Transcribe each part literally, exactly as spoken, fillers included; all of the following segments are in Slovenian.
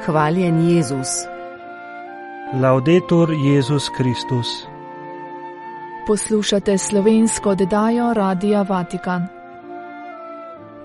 Hvaljen Jezus. Laudetur Jezus Kristus. Poslušate slovensko oddajo Radia Vatikan.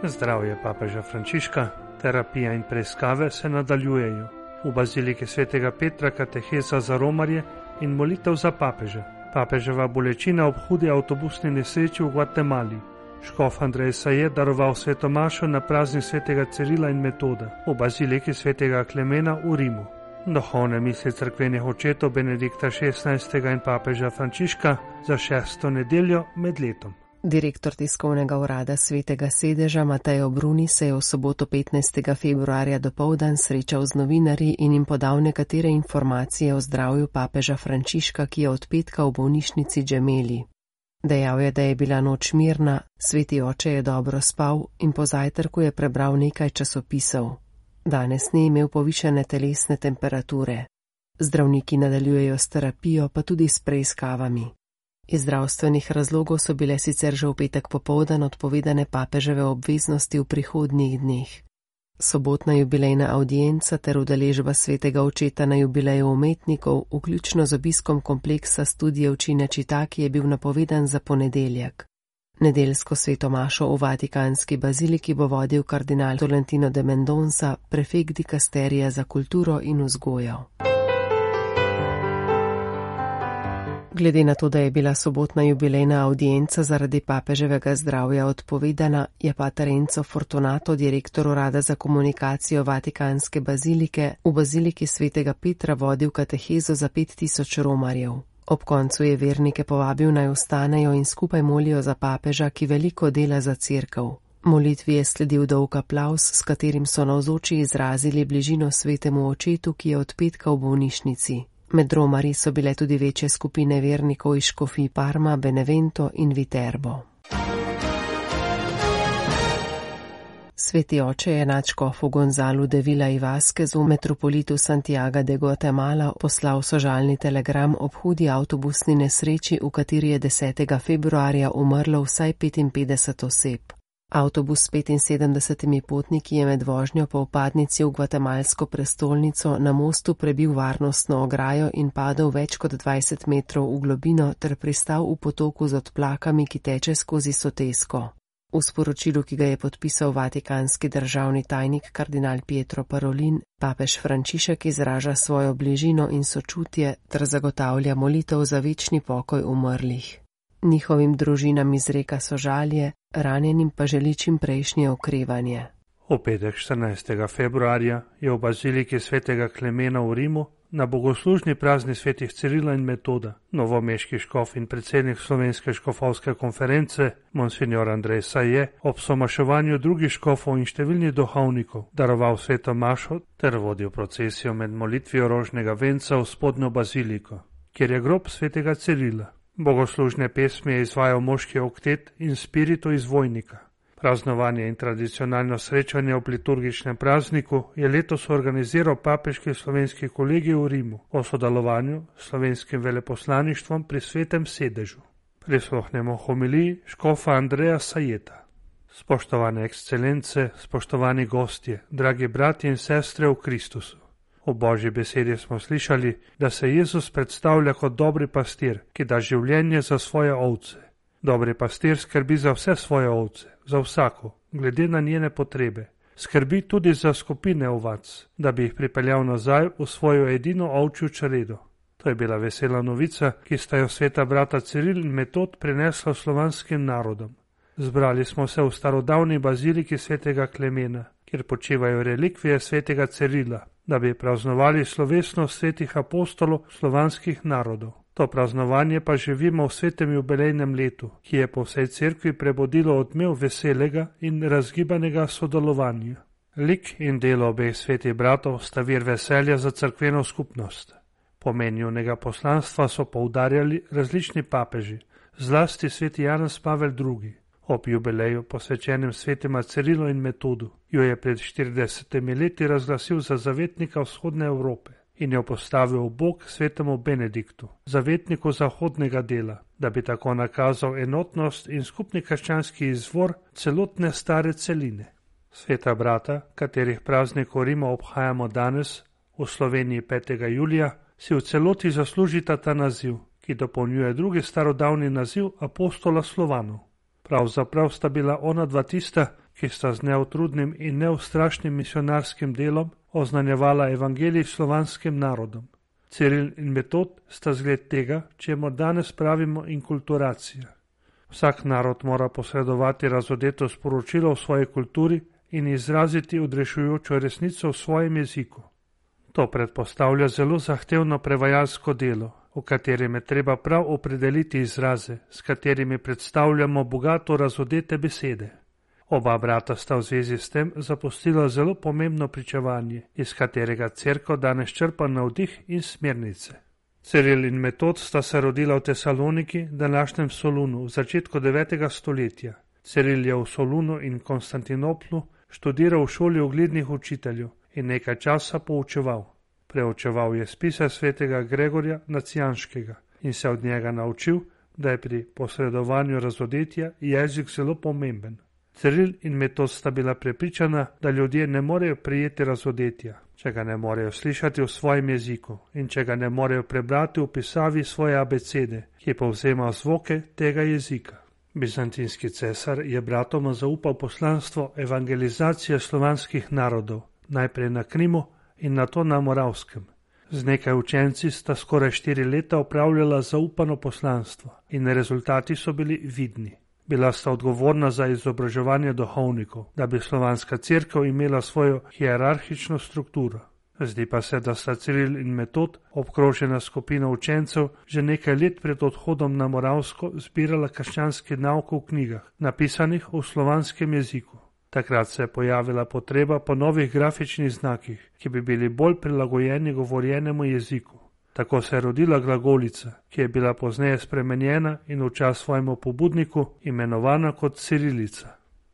Zdravje papeža Frančiška, terapija in preiskave se nadaljujejo. V baziliki svetega Petra kateheza za romarje in molitev za papeža. Papeževa bolečina ob hudi avtobusni nesreči v Gvatemali. Škof Andrej Saje daroval svetomašo na praznik svetega Cirila in Metoda v baziliki svetega Klemena v Rimu. Duhovne misli cerkvenih očetov Benedikta šestnajstega in papeža Frančiška za šesto nedeljo med letom. Direktor tiskovnega urada Svetega sedeža Mateo Bruni se je v soboto petnajstega februarja dopoldan srečal z novinarji in jim podal nekatere informacije o zdravju papeža Frančiška, ki je od petka v bolnišnici Gemelli. Dejal je, da je bila noč mirna, sveti oče je dobro spal in po zajtrku je prebral nekaj časopisov. Danes ni imel povišane telesne temperature. Zdravniki nadaljujejo s terapijo, pa tudi s preiskavami. Iz zdravstvenih razlogov so bile sicer že v petek popoldan odpovedane papeževe obveznosti v prihodnjih dneh. Sobotna jubilejna avdienca ter udeležba svetega očeta na jubileju umetnikov, vključno z obiskom kompleksa studijev Cinecittà, ki je bil napovedan za ponedeljek. Nedeljsko svetomašo v Vatikanski baziliki bo vodil kardinal Tolentino de Mendonca, prefekt dikasterija za kulturo in vzgojo. Glede na to, da je bila sobotna jubilejna avdienca zaradi papeževega zdravja odpovedana, je pater Enzo Fortunato, direktor urada za komunikacijo Vatikanske bazilike, v baziliki svetega Petra vodil katehezo za pet tisoč romarjev. Ob koncu je vernike povabil naj ostanejo in skupaj molijo za papeža, ki veliko dela za cerkev. Molitvi je sledil dolg aplavz, s katerim so navzoči izrazili bližino svetemu očetu, ki je od petka v bolnišnici. Med romarji so bile tudi večje skupine vernikov iz škofij Parma, Benevento in Viterbo. Sveti oče je nadškofu Gonzalu de Vila y Vázquezu, metropolitu Santiaga de Guatemala, poslal sožalni telegram ob hudi avtobusni nesreči, v kateri je desetega februarja umrlo vsaj petinpetdeset oseb. Avtobus s petinsedemdesetimi potniki je med vožnjo po vpadnici v gvatemalsko prestolnico na mostu prebil varnostno ograjo in padel več kot dvajset metrov v globino ter pristal v potoku z odplakami, ki teče skozi Sotesko. V sporočilu, ki ga je podpisal vatikanski državni tajnik kardinal Pietro Parolin, papež Frančišek izraža svojo bližino in sočutje ter zagotavlja molitev za večni pokoj umrlih. Njihovim družinam izreka sožalje, ranjenim pa želi čim prejšnje okrevanje. V petek štirinajstega februarja je v baziliki svetega Klemena v Rimu na bogoslužni praznik svetih Cirila in Metoda novomeški škof in predsednik Slovenske škofovske konference monsignor Andrej Saje ob somaševanju drugih škofov in številnih duhovnikov daroval sveto mašo ter vodil procesijo med molitvijo rožnega venca v spodnjo baziliko, kjer je grob svetega Cirila. Bogoslužne pesmi je izvajal moški oktet in spiritu izvojnika. Praznovanje in tradicionalno srečanje ob liturgičnem prazniku je letos organiziral papeški slovenski kolegij v Rimu o sodelovanju s slovenskim veleposlaništvom pri svetem sedežu. Prisluhnemo homiliji škofa Andreja Sajeta. Spoštovane ekscelence, spoštovani gostje, dragi bratje in sestre v Kristusu. V Božji besedi smo slišali, da se Jezus predstavlja kot dobri pastir, ki da življenje za svoje ovce. Dobri pastir skrbi za vse svoje ovce, za vsako, glede na njene potrebe. Skrbi tudi za skupine ovac, da bi jih pripeljal nazaj v svojo edino ovčjo čredo. To je bila vesela novica, ki sta jo sveta brata Ciril in Metod prinesla slovanskim narodom. Zbrali smo se v starodavni baziliki svetega Klemena, kjer počivajo relikvije svetega Cirila, da bi praznovali slovesnost svetih apostolov slovanskih narodov. To praznovanje pa živimo v svetem jubilejnem letu, ki je po vsej cerkvi prebudilo odmev veselega in razgibanega sodelovanja. Lik in delo obeh svetih bratov sta vir veselja za cerkveno skupnost. Pomen njunega poslanstva so poudarjali različni papeži, zlasti sveti Janez Pavel drugi. Ob jubileju, posvečenem svetema Cirilu in Metodu, jo je pred štiridesetimi leti razglasil za zavetnika vzhodne Evrope in jo postavil v bok svetemu Benediktu, zavetniku zahodnega dela, da bi tako nakazal enotnost in skupni krščanski izvor celotne stare celine. Sveta brata, katerih praznik v Rimu obhajamo danes, v Sloveniji petega julija, si v celoti zaslužita ta naziv, ki dopolnjuje drugi starodavni naziv apostola Slovanov. Pravzaprav sta bila ona dva tista, ki sta z neutrudnim in neustrašnim misionarskim delom oznanjevala evangelij slovanskim narodom. Ciril in Metod sta zgled tega, čemu danes pravimo inkulturacija. Vsak narod mora posredovati razodeto sporočilo v svoji kulturi in izraziti odrešujočo resnico v svojem jeziku. To predpostavlja zelo zahtevno prevajalsko delo, v katerem je treba prav opredeliti izraze, s katerimi predstavljamo bogato razodete besede. Oba brata sta v zvezi s tem zapustila zelo pomembno pričevanje, iz katerega cerkev danes črpa navdih in smernice. Ciril in Metod sta se rodila v Tesaloniki, današnjem Solunu, v začetku devetega stoletja. Ciril je v Solunu in Konstantinoplu študiral v šoli uglednih učiteljev in nekaj časa poučeval. Preučeval je spise svetega Gregorja Nacijanskega in se od njega naučil, da je pri posredovanju razodetja jezik zelo pomemben. Ciril in Metod sta bila prepričana, da ljudje ne morejo prijeti razodetja, če ga ne morejo slišati v svojem jeziku in če ga ne morejo prebrati v pisavi svoje abecede, ki povzema zvoke tega jezika. Bizantinski cesar je bratoma zaupal poslanstvo evangelizacije slovanskih narodov, najprej na Krimu in nato na Moravskem. Z nekaj učenci sta skoraj štiri leta opravljala zaupano poslanstvo in rezultati so bili vidni. Bila sta odgovorna za izobraževanje duhovnikov, da bi slovanska cerkev imela svojo hierarhično strukturo. Zdi pa se, da sta Ciril in Metod, obkrožena skupina učencev, že nekaj let pred odhodom na Moravsko zbirala krščanski nauk v knjigah, napisanih v slovanskem jeziku. Takrat se je pojavila potreba po novih grafičnih znakih, ki bi bili bolj prilagojeni govorjenemu jeziku. Tako se je rodila glagolica, ki je bila pozneje spremenjena in v čas svojemu pobudniku imenovana kot cirilica.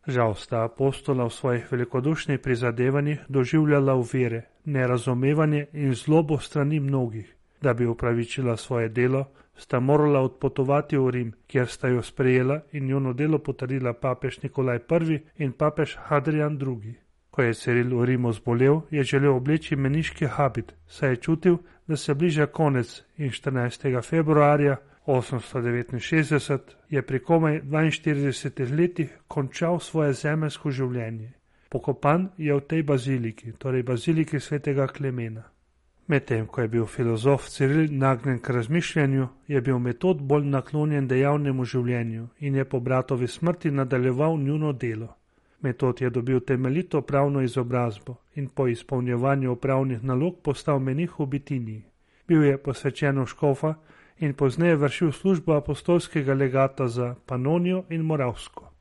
Žal sta apostola v svojih velikodušnih prizadevanjih doživljala uvire, nerazumevanje in zlobo strani mnogih. Da bi upravičila svoje delo, sta morala odpotovati v Rim, kjer sta jo sprejela in njuno delo potrdila papež Nikolaj prvi in papež Hadrian drugi. Ko je Ciril v Rimu zbolel, je želel obleči meniški habit, saj je čutil, da se bliža konec in štirinajstega februarja osemsto devetinšestdeset je pri komaj dvainštiridesetih letih končal svoje zemeljsko življenje. Pokopan je v tej baziliki, torej baziliki svetega Klemena. Medtem, ko je bil filozof Ciril nagnjen k razmišljanju, je bil Metod bolj naklonjen dejavnemu življenju in je po bratovi smrti nadaljeval njuno delo. Metod je dobil temeljito pravno izobrazbo in po izpolnjevanju upravnih nalog postal menih v Bitiniji. Bil je posvečen v škofa in pozneje vršil službo apostolskega legata za Panonijo in Moravsko.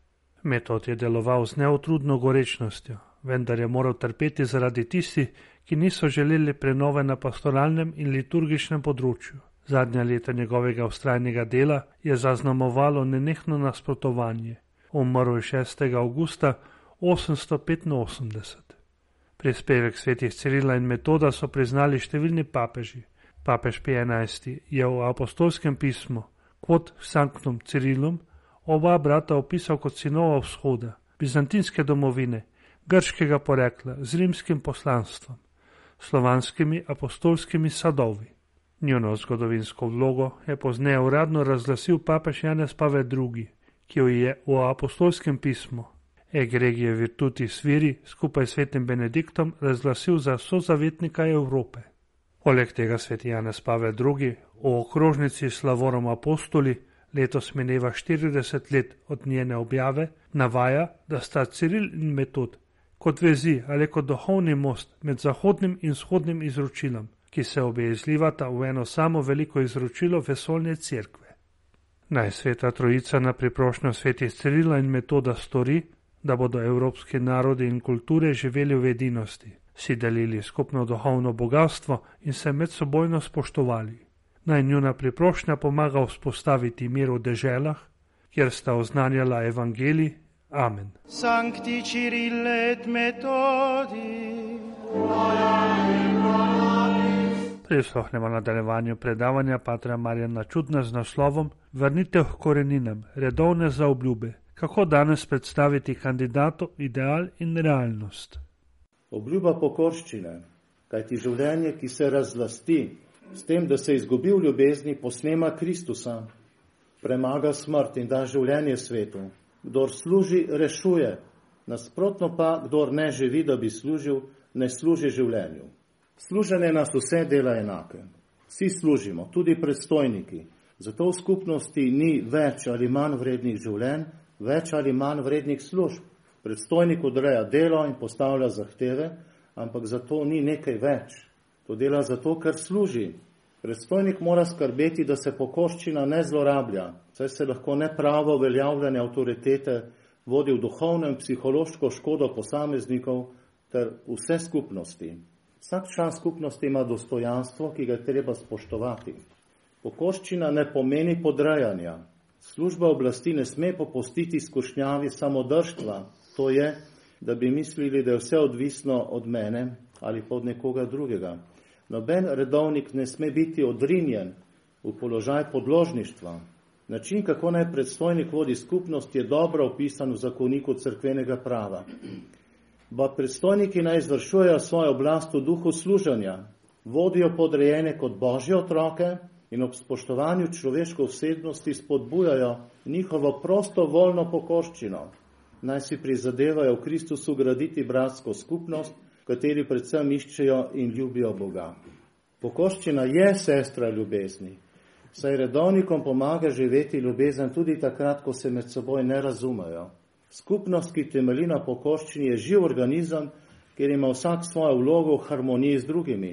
Metod je deloval z neutrudno gorečnostjo, vendar je moral trpeti zaradi tistih, ki niso želeli prenove na pastoralnem in liturgičnem področju. Zadnja leta njegovega vztrajnega dela je zaznamovalo nenehno nasprotovanje. Umrl je šestega avgusta osemsto petinosemdeset. Prispevek svetih Cirila in Metoda so priznali številni papeži. Papež Pij enajsti je v apostolskem pismu Quod Sanctum Cirilum oba brata opisal kot sinova vzhoda, bizantinske domovine, grškega porekla z rimskim poslanstvom, slovanskimi apostolskimi sadovi. Njuno zgodovinsko vlogo je pozneje uradno razglasil papež Janez Pavel drugi, ki jo je v apostolskem pismu Egregije Virtutis Viri skupaj s svetim Benediktom razglasil za sozavetnika Evrope. Poleg tega sveti Janez Pavel drugi v okrožnici Slavorum Apostoli, letos mineva štirideset let od njene objave, navaja, da sta Ciril in Metod kot vezi ali kot duhovni most med zahodnim in vzhodnim izročilom, ki se obe izlivata v eno samo veliko izročilo vesoljne cerkve. Naj sveta trojica na priprošnjo svetih Cirila in Metoda stori, da bodo evropski narodi in kulture živeli v edinosti, si delili skupno duhovno bogatstvo in se medsebojno spoštovali. Naj njuna priprošnja pomaga vzpostaviti mir v deželah, kjer sta oznanjala evangelij. Amen. Sancti Cirille et Metodi. Prisluhnemo nadaljevanju predavanja patra Marjana Čudna z naslovom Vrnitev k koreninam, redovne zaobljube. Kako danes predstaviti kandidatu ideal in realnost? Obljuba pokorščine. kajti življenje, ki se razlasti s tem, da se izgubi v ljubezni, posnema Kristusa, premaga smrt in da življenje svetu. Kdor služi, rešuje, nasprotno pa, kdor ne živi, da bi služil, ne služi življenju. Služenje nas vse dela enake. Vsi služimo, tudi predstojniki. Zato v skupnosti ni več ali manj vrednih življenj, več ali manj vrednih služb. Predstojnik odreja delo in postavlja zahteve, ampak zato ni nekaj več. To dela zato, ker služi. Predstojnik mora skrbeti, da se pokorščina ne zlorablja, saj se lahko nepravo uveljavljanje avtoritete vodi v duhovno in psihološko škodo posameznikov ter vse skupnosti. Vsak član skupnosti ima dostojanstvo, ki ga je treba spoštovati. Pokorščina ne pomeni podrejanja. Služba oblasti ne sme popustiti skušnjavi samodržstva. To je, da bi mislili, da je vse odvisno od mene ali pa od nekoga drugega. Noben redovnik ne sme biti odrinjen v položaj podložništva. Način, kako naj predstojnik vodi skupnost, je dobro opisan v zakoniku cerkvenega prava. Pa predstojniki naj izvršujejo svojo oblast v duhu služenja, vodijo podrejene kot božje otroke in ob spoštovanju človeške osebnosti spodbujajo njihovo prostovoljno pokorščino. Naj si prizadevajo v Kristusu graditi bratsko skupnost, v kateri predvsem iščejo in ljubijo Boga. Pokorščina je sestra ljubezni, saj redovnikom pomaga živeti ljubezen tudi takrat, ko se med seboj ne razumejo. Skupnost, ki temelji na pokorščini, je živ organizem, kjer ima vsak svojo vlogo v harmoniji z drugimi.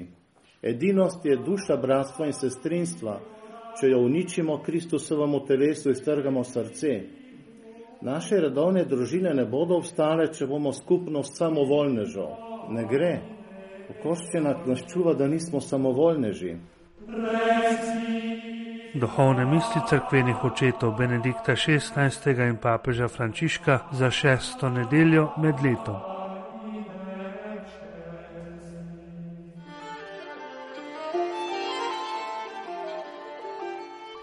Edinost je duša bratstva in sestrinstva. Če jo uničimo, Kristusovemu telesu iztrgamo srce. Naše redovne družine ne bodo obstale, če bomo skupnost samovoljnežev. Ne gre. Pokorščina nas čuva, da nismo samovoljneži. Duhovne misli cerkvenih očetov Benedikta šestnajstega in papeža Frančiška za šesto nedeljo med letom.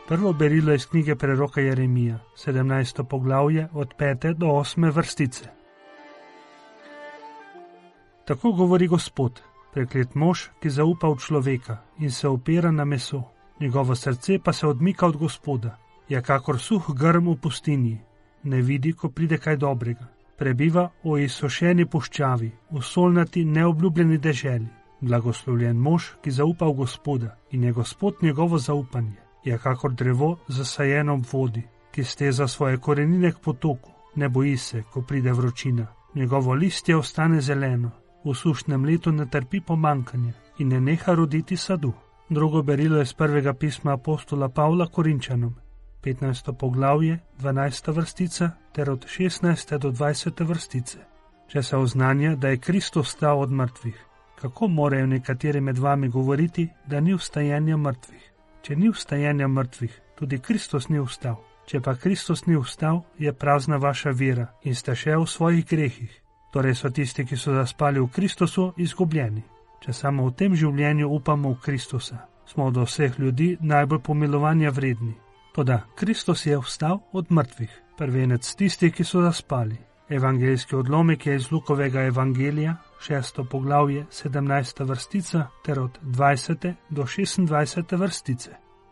Prvo berilo iz knjige preroka Jeremija, sedemnajsto poglavje od pete do osme vrstice. Tako govori Gospod, preklet mož, ki zaupa v človeka in se opira na meso. Njegovo srce pa se odmika od Gospoda, je kakor suh grm v pustinji, ne vidi, ko pride kaj dobrega. Prebiva o izsušeni puščavi, v solnati neobljubljeni deželi. Blagoslovljen mož, ki zaupa v Gospoda in je Gospod njegovo zaupanje. Je kakor drevo zasajeno v vodi, ki steza svoje korenine k potoku, ne boji se, ko pride vročina. Njegovo listje ostane zeleno, v sušnem letu ne trpi pomankanje in ne neha roditi sadu. Drugo berilo je z prvega pisma apostola Pavla Korinčanom, petnajsto poglavje, dvanajsta vrstica ter od šestnajste do dvajsete vrstice. Če se oznanja, da je Kristus vstal od mrtvih, kako morajo nekateri med vami govoriti, da ni vstajenja mrtvih? Če ni vstajenja mrtvih, tudi Kristus ni vstal. Če pa Kristus ni vstal, je prazna vaša vera in ste še v svojih grehih. Torej so tisti, ki so zaspali v Kristusu, izgubljeni. Če samo v tem življenju upamo v Kristusa, smo od vseh ljudi najbolj pomilovanja vredni. Toda Kristus je vstal od mrtvih, prvenec tistih, ki so zaspali. Evangeljski odlomek je iz Lukovega evangelija, šesto poglavje, sedemnajsta vrstica ter od dvajsete do šestindvajsete vrstice.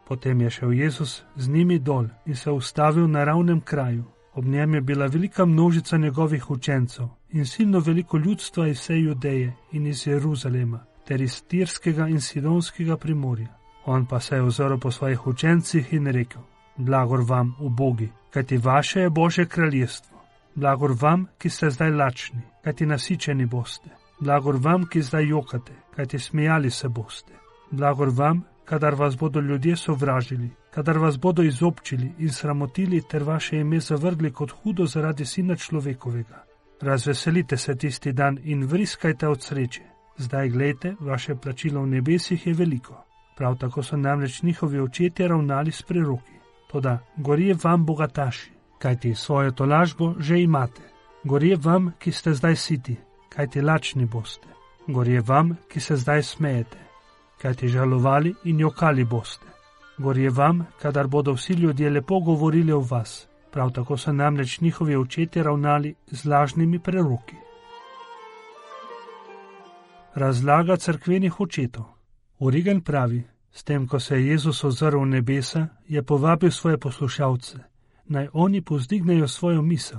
Potem je šel Jezus z njimi dol in se ustavil na ravnem kraju. Ob njem je bila velika množica njegovih učencev in silno veliko ljudstva iz vse Judeje in iz Jeruzalema ter iz Tirskega in Sidonskega primorja. On pa se je ozrl po svojih učencih in rekel: Blagor vam, ubogi, kajti vaše je Božje kraljestvo. Blagor vam, ki ste zdaj lačni, kajti nasičeni boste. Blagor vam, ki zdaj jokate, kajti smejali se boste. Blagor vam, kadar vas bodo ljudje sovražili, kadar vas bodo izobčili in sramotili ter vaše ime zavrgli kot hudo zaradi Sina človekovega. Razveselite se tisti dan in vriskajte od sreče. Zdaj glejte, vaše plačilo v nebesih je veliko. Prav tako so namreč njihovi očetje ravnali s preroki. Toda gorje vam, bogataši, kajti svojo tolažbo že imate. Gorje vam, ki ste zdaj siti, kajti lačni boste. Gorje vam, ki se zdaj smejete, kajti žalovali in jokali boste. Gorje vam, kadar bodo vsi ljudje lepo govorili o vas. Prav tako so namreč njihovi očetje ravnali z lažnimi preroki. Razlaga cerkvenih očetov. Origen pravi, s tem, ko se je Jezus ozrl v nebesa, je povabil svoje poslušalce, naj oni povzdignejo svojo misel.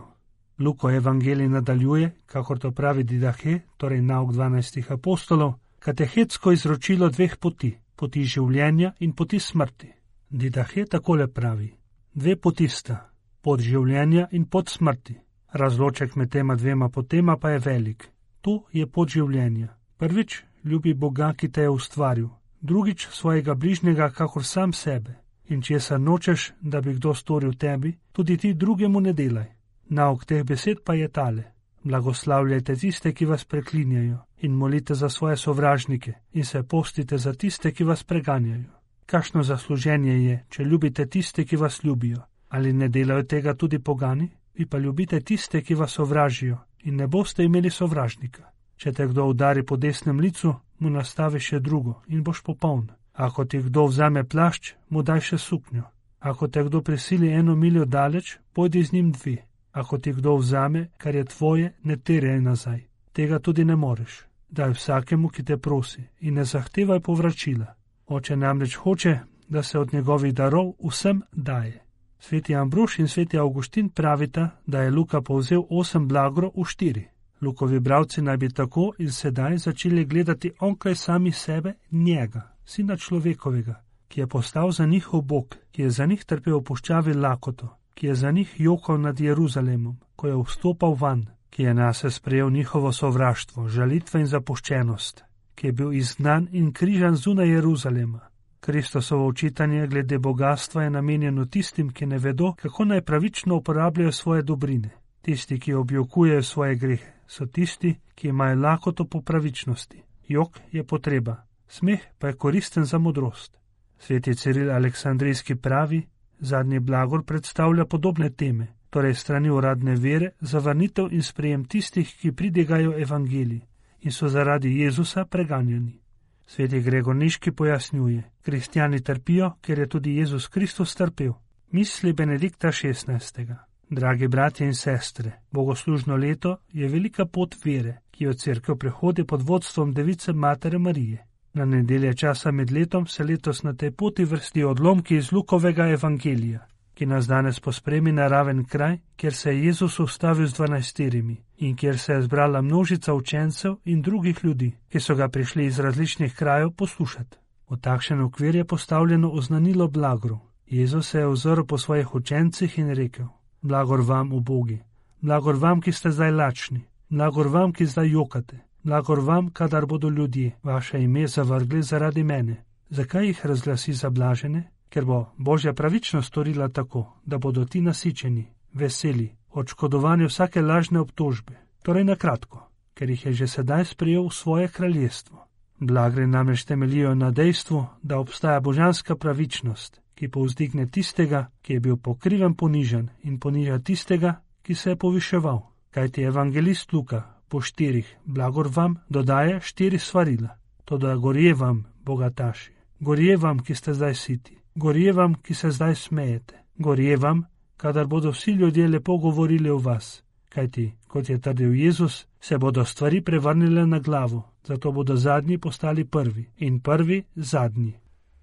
Luko evangelij nadaljuje, kakor to pravi Didahe, torej nauk dvanajstih apostolov, katehetsko izročilo dveh poti, poti življenja in poti smrti. Didahe takole pravi, dve poti sta, pot življenja in pot smrti. Razloček med tema dvema potema pa je velik. Tu je pot življenja. Prvič, ljubi Boga, ki te je ustvaril. Drugič, svojega bližnjega, kakor sam sebe. In česar nočeš, da bi kdo storil tebi, tudi ti drugemu ne delaj. Nauk teh besed pa je tale. Blagoslavljajte tiste, ki vas preklinjajo, in molite za svoje sovražnike, in se postite za tiste, ki vas preganjajo. Kakšno zasluženje je, če ljubite tiste, ki vas ljubijo? Ali ne delajo tega tudi pogani? Vi pa ljubite tiste, ki vas sovražijo, in ne boste imeli sovražnika. Če te kdo udari po desnem licu, mu nastavi še drugo in boš popoln. Ako ti kdo vzame plašč, mu daj še suknjo. Ako te kdo prisili eno miljo daleč, pojdi z njim dve. Ako ti kdo vzame, kar je tvoje, ne terjaj nazaj. Tega tudi ne moreš. Daj vsakemu, ki te prosi, in ne zahtevaj povračila. Oče namreč hoče, da se od njegovih darov vsem daje. Sveti Ambrož in sveti Avguštin pravita, da je Luka povzel osem blagro v štiri. Lukovi bralci naj bi tako in sedaj začeli gledati onkraj sami sebe njega, sina človekovega, ki je postal za njihov Bog, ki je za njih trpel v puščavi lakoto, ki je za njih jokal nad Jeruzalemom, ko je vstopal van, ki je nase sprejel njihovo sovraštvo, žalitve in zapuščenost, ki je bil izgnan in križan zunaj Jeruzalema. Kristosovo učitanje glede bogastva je namenjeno tistim, ki ne vedo, kako naj pravično uporabljajo svoje dobrine. Tisti, ki objokujejo svoje grehe, so tisti, ki imajo lakoto po pravičnosti. Jok je potreba, smeh pa je koristen za modrost. Sveti Ciril Aleksandrijski pravi, zadnji blagor predstavlja podobne teme, torej strani uradne vere, zavrnitev in sprejem tistih, ki pridigajo evangelij in so zaradi Jezusa preganjani. Sveti Gregor Niški pojasnjuje, kristjani trpijo, ker je tudi Jezus Kristus trpel. Misli Benedikta šestnajstega. Dragi bratje in sestre, bogoslužno leto je velika pot vere, ki jo cerkev prehodi pod vodstvom Device Matere Marije. Na nedelje časa med letom se letos na tej poti vrstijo odlomki iz Lukovega evangelija, ki nas danes pospremi na raven kraj, kjer se je Jezus ustavil z dvanajsterimi in kjer se je zbrala množica učencev in drugih ljudi, ki so ga prišli iz različnih krajev poslušati. V takšen okvir je postavljeno oznanilo blagor. Jezus se je ozrl po svojih učencih in rekel: Blagor vam, ubogi, blagor vam, ki ste zdaj lačni, blagor vam, ki zdaj jokate, blagor vam, kadar bodo ljudje vaše ime zavrgli zaradi mene. Zakaj jih razglasi za blažene? Ker bo Božja pravičnost storila tako, da bodo ti nasičeni, veseli, odškodovani vsake lažne obtožbe. Torej na kratko, ker jih je že sedaj sprejel v svoje kraljestvo. Blagre namreč temeljijo na dejstvu, da obstaja božanska pravičnost, ki povzdigne tistega, ki je bil po krivem ponižan, in poniža tistega, ki se je poviševal. Kajti evangelist Luka po štirih blagor vam dodaje štiri svarila. Toda gorje vam, bogataši, gorje vam, ki ste zdaj siti, gorje vam, ki se zdaj smejete, gorje vam, kadar bodo vsi ljudje lepo govorili o vas. Kajti, kot je trdil Jezus, se bodo stvari prevrnile na glavo, zato bodo zadnji postali prvi in prvi zadnji.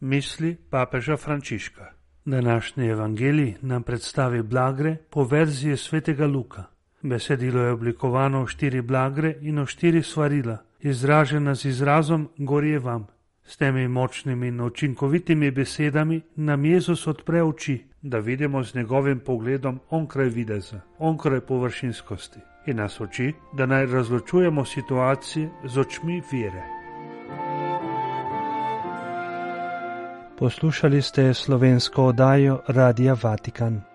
Misli papeža Frančiška. Današnji evangelij nam predstavi blagre po verziji svetega Luka. Besedilo je oblikovano v štiri blagre in v štiri svarila, izražena z izrazom gorje vam. S temi močnimi in učinkovitimi besedami nam Jezus odpre oči, da vidimo z njegovim pogledom onkraj videza, onkraj površinskosti in nas uči, da naj razločujemo situacije z očmi vere. Poslušali ste slovensko oddajo Radia Vatikan.